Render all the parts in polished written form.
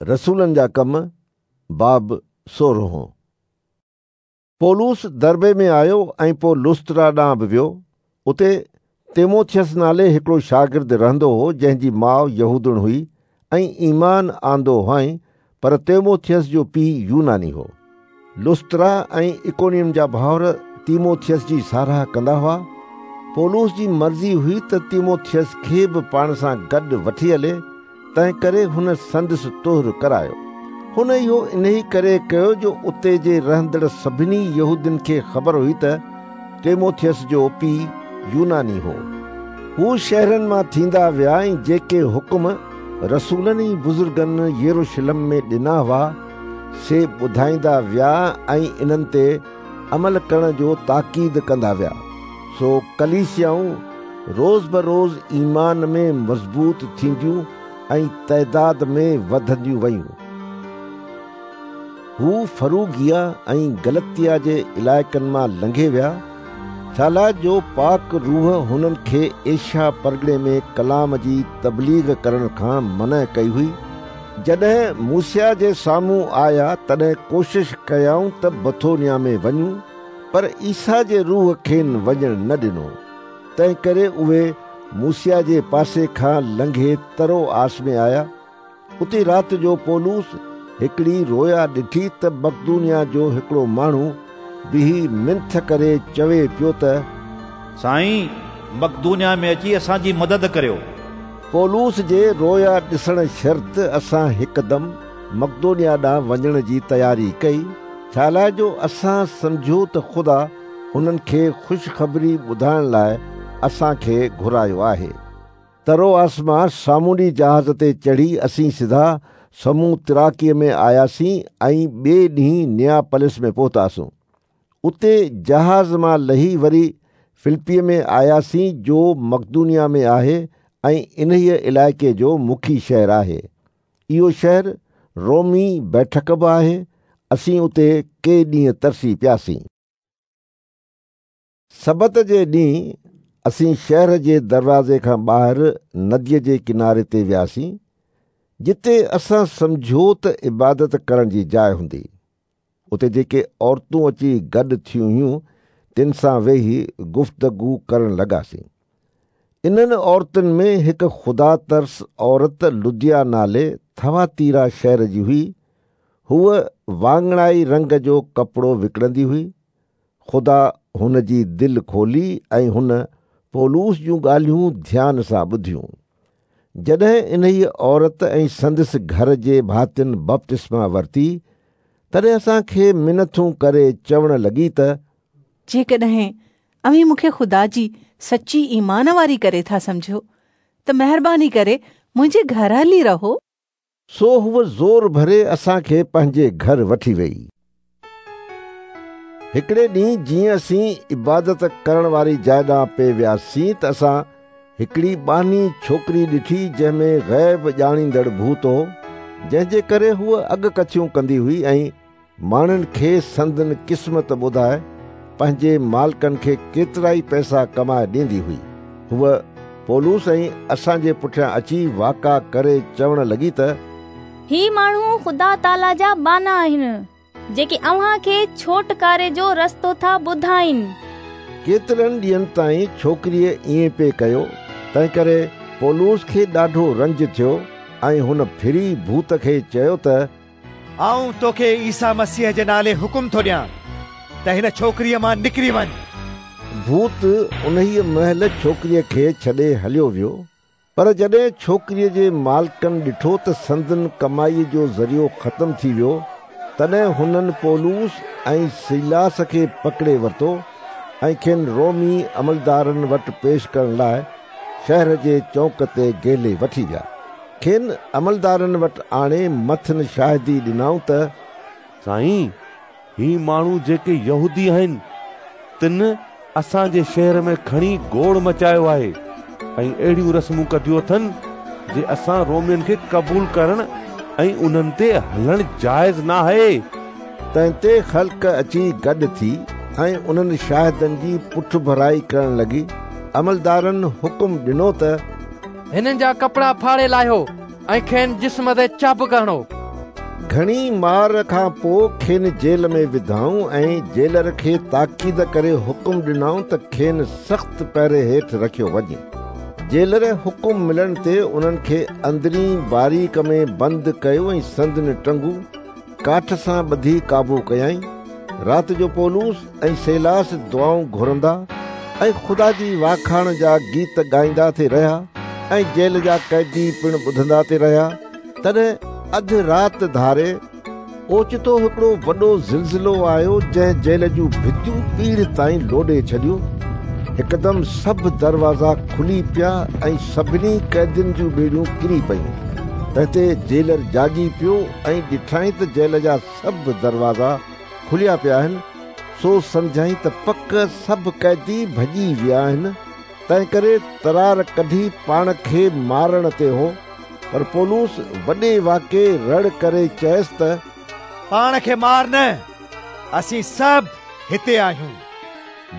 رسولن جا ڪم، باب سورهون. پولس دربي ۾ آيو ۽ پوء لسترا ڏانهن به ويو. اتي تيموٿيس نالي هڪڙو شاگرد رهندو هو، جنهن جي ماء يهودڻ هئي ۽ ايمان آندو هئائين، پر تيموٿيس جو پيء يوناني هو. لسترا ۽ اڪونيم جا ڀائر تيموٿيس جي ساراهه ڪندا هئا. پولس جي مرضي هئي ته تيموٿيس کي به پاڻ سان گڏ وٺي هلي، تنهنڪري هن سندس طهر ڪرايو. هن اهو انهي ڪري ڪيو جو اتي جي رهندڙ سڀني يهودين کي خبر هئي ته تيموٿيس جو پيء يوناني هو. هو شهرن مان ٿيندا ويا ۽ جيڪي حڪم رسولن ۽ بزرگن يروشلم ۾ ڏنا هئا، سي ٻڌائيندا ويا ۽ انهن تي عمل ڪرڻ جو تاڪيد ڪندا ويا. سو ڪليسيائون روز بروز ايمان ۾ مضبوط ٿينديون ۽ تعداد ۾ وڌنديون ويون. هو فروگيا ۽ گلتيا جي علائقن مان لنگهي ويا، ڇالاء جو پاڪ روح هنن کي ايشيا پرڳڻي ۾ ڪلام جي تبليغ ڪرڻ کان منع ڪئي هئي. جڏهن موسيا جي سامهون آيا تڏهن ڪوشش ڪيائون ته بٿونيا ۾ وڃون، پر عيسيٰ جي روح کين وڃڻ نه ڏنو. تنهنڪري اهي موسيا جي پاسي کان لنگهي تروآس ۾ آيا. اتي رات جو پولس هڪڙي رويا ڏٺي ته مقدونيا جو هڪڙو ماڻهو بيهي منٿ ڪري چوي پيو ته. سائين، مقدونيا ۾ اچي اسان جي مدد ڪريو. پولس جي رويا ڏسڻ شرط اسان هڪدم مقدونيا ڏانهن وڃڻ جي تياري ڪئي، ڇالاء جو اسان سمجهيو ته خدا هنن کي خوشخبري ٻڌائڻ لاء اسان کي گهرايو آهي. تروآس مان سامونڊي جهاز تي چڙهي اسين سڌا سموتراڪيء ۾ آياسين ۽ ٻئي ڏينهن نياپلس ۾ پهتاسون. اتي جهاز مان لهي وري فلپيء ۾ آياسين جو مقدونيا ۾ آهي ۽ انهيء علائقي جو مکي شهر آهي. اهو شهر رومي بيٺڪ به آهي. اسين اتي ڪي ڏينهن ترسي پياسين. سبت جي ڏينهن اسين شهر جي دروازي کان ٻاهر نديء جي ڪناري تي وياسين، جتي اسان سمجهيو ته عبادت ڪرڻ جي جاء هوندي. اتي جيڪي عورتون اچي گڏ ٿيون هيون، تن سان ويهي گفتگو ڪرڻ لڳاسين. انهن عورتن ۾ هڪ خدا ترس عورت لديا نالي ٿواتيرا شهر جي هئي. هوء واڱڻائي رنگ جو ڪپڙو وڪڻندي هئي. خدا هن جي دل کولي ۽ هن پولس جون ڳالهيون ڌيان سان ٻڌيون. جڏهن انهيء عورت ۽ سندس گهر جي ڀاتين بپتسما ورتي، تڏهن اسان کي منٿون ڪري چوڻ لڳي ته. جيڪڏهن اوهين مون کي خدا جي سچي ايمان واري ڪري ٿا سمجهو، ته مهرباني ڪري منهنجي گهر هلي رهو. سو هوء زور ڀري اسان کي پنهنجي گهر وٺي ويئي. هڪڙي ڏينهن جيئن اسين عبادت ڪرڻ واري جاء ڏانهن پئي وياسين ته اسان هڪڙي ٻانهي ڇوڪري ڏٺي جنهن ۾ غيب ڄاڻيندڙ ڀوت هو، جنهن جي ڪري هوء اڳڪٿيون ڪندي هئي ۽ ماڻهن کي سندن قسمت ٻڌائي پنهنجي مالڪن کي ڪيترائي پئسا ڪمائي ڏيندي هئي. هوء پولس ۽ اسان جي پٺيان اچي واڪا ڪري چوڻ لڳي ته. هي ماڻهو خدا تعاليٰ جا ٻانها آهن، جيڪي اوهان کي ڇوٽڪاري جو رستو ٿا ٻڌائين. ڪيترن ڏينهن تائين ڇوڪريء ائين پئي ڪيو، تنهنڪري پولس کي ڏاڍو رنج ٿيو ۽ هن ڦري ڀوت کي چيو ته. آئون توکي عيسيٰ مسيح جي نالي حڪم ٿو ڏيان ته هن ڇوڪريء مان نڪري وڃ. ڀوت انهيء مهل ڇوڪريء کي ڇڏي هليو ويو، پر جڏهن ڇوڪريء جي مالڪن ڏٺو ته سندن ڪمائيء جو ذريعو ختم ٿي ويو، تڏهن هنن پولس ۽ سيلاس کي پڪڙي ورتو ۽ کين رومي عملدارن وٽ پيش ڪرڻ لاء شهر جي چونڪ تي گهلي وٺي ويا. کين عملدارن وٽ آڻي مٿن شاهدي ڏنائون ته. سائين، هي ماڻهو جيڪي يهودي آهن، تن اسان جي شهر ۾ کڻي گوڙ مچايو آهي ۽ اهڙيون رسمون ڪڍيون اٿن، جي اسان رومين کي قبول ڪرڻ ۽ انهن تي هلڻ جائز ناهي. تنهن تي خلق اچي گڏ ٿي ۽ انهن شاهدن جي پٺڀرائي ڪرڻ لڳي. عملدارن حڪم ڏنو ته. هنن جا ڪپڙا ڦاڙي لاهيو ۽ کين جسم تي چابڪ هڻو. گهڻي مار کان پوء کين جيل ۾ وڌائون ۽ جيلر کي تاڪيد ڪري حڪم ڏنائون ته کين سخت پهري هيٺ رکيو وڃي. جيلر حڪم ملڻ تي انهن کي اندرين باريڪ ۾ بند ڪيو ۽ سندن ٽنگون ڪاٺ سان ٻڌي قابو ڪيائين. رات جو پولس ۽ سيلاس دعائون گهرندا ۽ خدا جي واکاڻ جا گيت ڳائيندا ٿي رهيا ۽ جيل جا قيدي پڻ ٻڌندا ٿي رهيا. تڏهن اڌ رات ڌاري اوچتو هڪڙو وڏو زلزلو آيو، جنهن جيل جون ڀتيون پيڙهه تائين لوڏي ڇڏيون. هڪدم سڀ دروازا کلي پيا ۽ سڀني قيدين جون ٻيڙيون ڪري پيون. تنهن تي جيلر جاڳي پيو ۽ ڏٺائين ته جيل جا سڀ دروازا کليا پيا آهن، سو سمجهيائين ته پڪ سڀ قيدي ڀڄي ويا آهن، تنهنڪري ترار ڪڍي پاڻ کي مارڻ تي هو. پر پولس وڏي واڪي رڙ ڪري چيس ته، پاڻ کي مار نه، اسين سڀ هتي آهيون.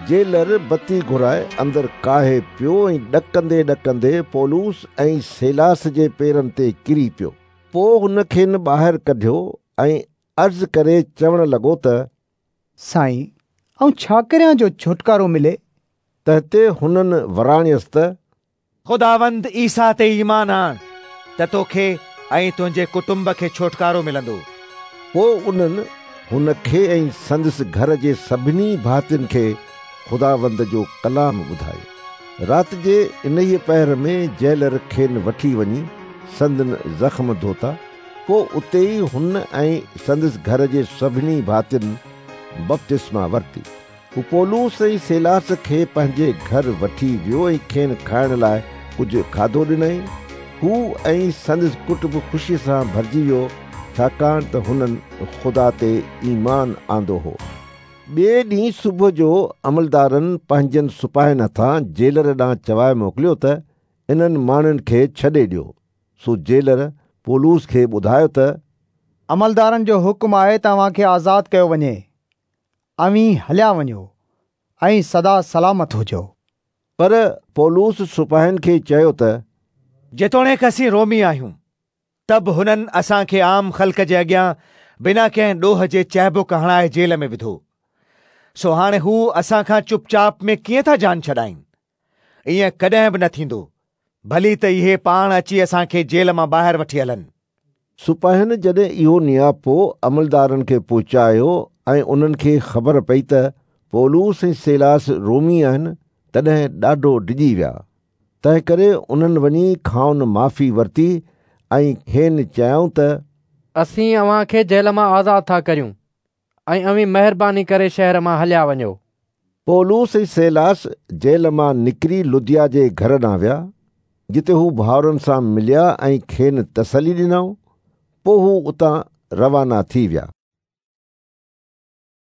جيلر بتي گهرائي اندر ڪاهي پيو ۽ ڏڪندي ڏڪندي پولس ۽ سيلاس جي پيرن تي ڪري پيو. پوء هن کين ٻاهر ڪڍيو ۽ عرض ڪري چوڻ لڳو ته، سائين، آئون ڇا ڪريان جو ڇوٽڪارو ملي؟ تنهن تي هنن وراڻيس ته، خداوند عيسيٰ تي ايمان آڻ ته توکي ۽ تنهنجي ڪٽنب کي ڇوٽڪارو ملندو. پوء انهن هن کي ۽ سندس گهر جي سڀني ڀاتين کي خداوند جو ڪلام ٻڌايو. رات جي انهيء پهر ۾ جيلر کين وٺي وڃي سندن زخم ڌوتا. پوء اتي ئي هن ۽ سندس گهر جي سڀني ڀاتين بپتسما ورتي. هو پولس ۽ سيلاس کي پنهنجي گهر وٺي ويو ۽ کين کائڻ لاء ڪجهه کاڌو ڏنائين. هو ۽ سندس ڪٽنب خوشيء سان ڀرجي ويو، ڇاڪاڻ ته هنن خدا تي ايمان آندو هو. ٻئي ڏينهن صبح جو عملدارن پنهنجن سپاهين هٿان جيلر ڏانهن چوائي موڪليو ته انهن ماڻهن کي ڇڏي ڏيو. سو جيلر پولس کي ٻڌايو ته، عملدارن جو حڪم آهي ته اوهان کي آزاد ڪيو وڃي. اوهين هليا وڃو ۽ سدا سلامت هجو. پر پولس سپاهين کي چيو ته، جيتوڻيڪ اسين رومي آهيون، ته به هنن اسان کي عام خلق جي اڳيان بنا ڪنهن ڏوهه جي چهبڪ هڻائي جيل ۾ وڌو. سو هاڻي هو اسان کان چپ چاپ ۾ ڪيئن ٿا جان ڇڏائين؟ ائين ڪڏهن به نه ٿيندو. ڀلي ته اهي پاڻ اچي اسان کي جيل مان ٻاهر وٺي هلن. سپاهين جڏهن اهو نياپو عملدارن کي پهچايو ۽ انهن کي خبر پئي ته پولس ۽ سيلاس رومي آهن، تڏهن ڏاڍو ڊڄي ويا. تنهنڪري انهن وڃي کانئن معافي ورتي ۽ کين چيائون ته، اسين اوهان کي جيل مان آزاد ٿا ڪريون ۽ اوهين مهرباني ڪري شهر مان هليا وڃو. پولس ۽ سيلاس جيل مان نڪري لديا جي گهر ڏانهن ويا، جتي هو ڀائرن سان مليا ۽ کين تسلي ڏنائون. پوء هو اتان روانا ٿي ويا.